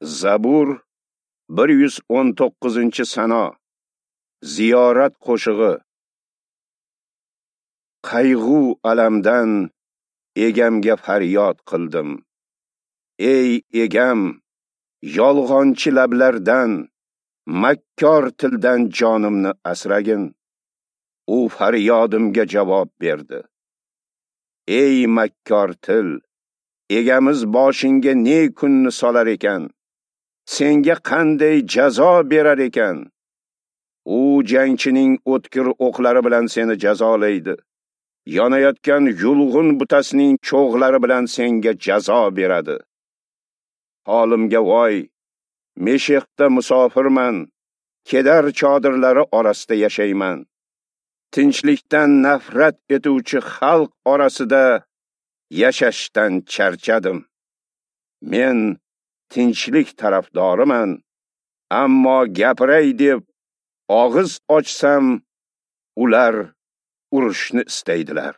Zabur 119-sano. Ziyorat qo'shig'i. Qayg'u alamdan egamga faryod qildim. Ey egam, yolg'onchi lablardan, makkor tildan jonimni asragin. U faryodimga javob berdi. Ey makkor til, egamiz boshingga ne kunni solar ekan? Senga qanday jazo berar ekan? U jangchining o'tkir o'qlari bilan seni jazolaydi. Yonayotgan yulg'un butasining cho'g'lari bilan senga jazo beradi. Holimga voy, Meshexda musofirman, Kedar chodirlari orasida yashayman. Tinchlikdan nafrat etuvchi xalq orasida yashashdan charchadim. Men tinchlik tarafdoriman, ammo gapiray deb og'iz ochsam, ular urushni istaydilar.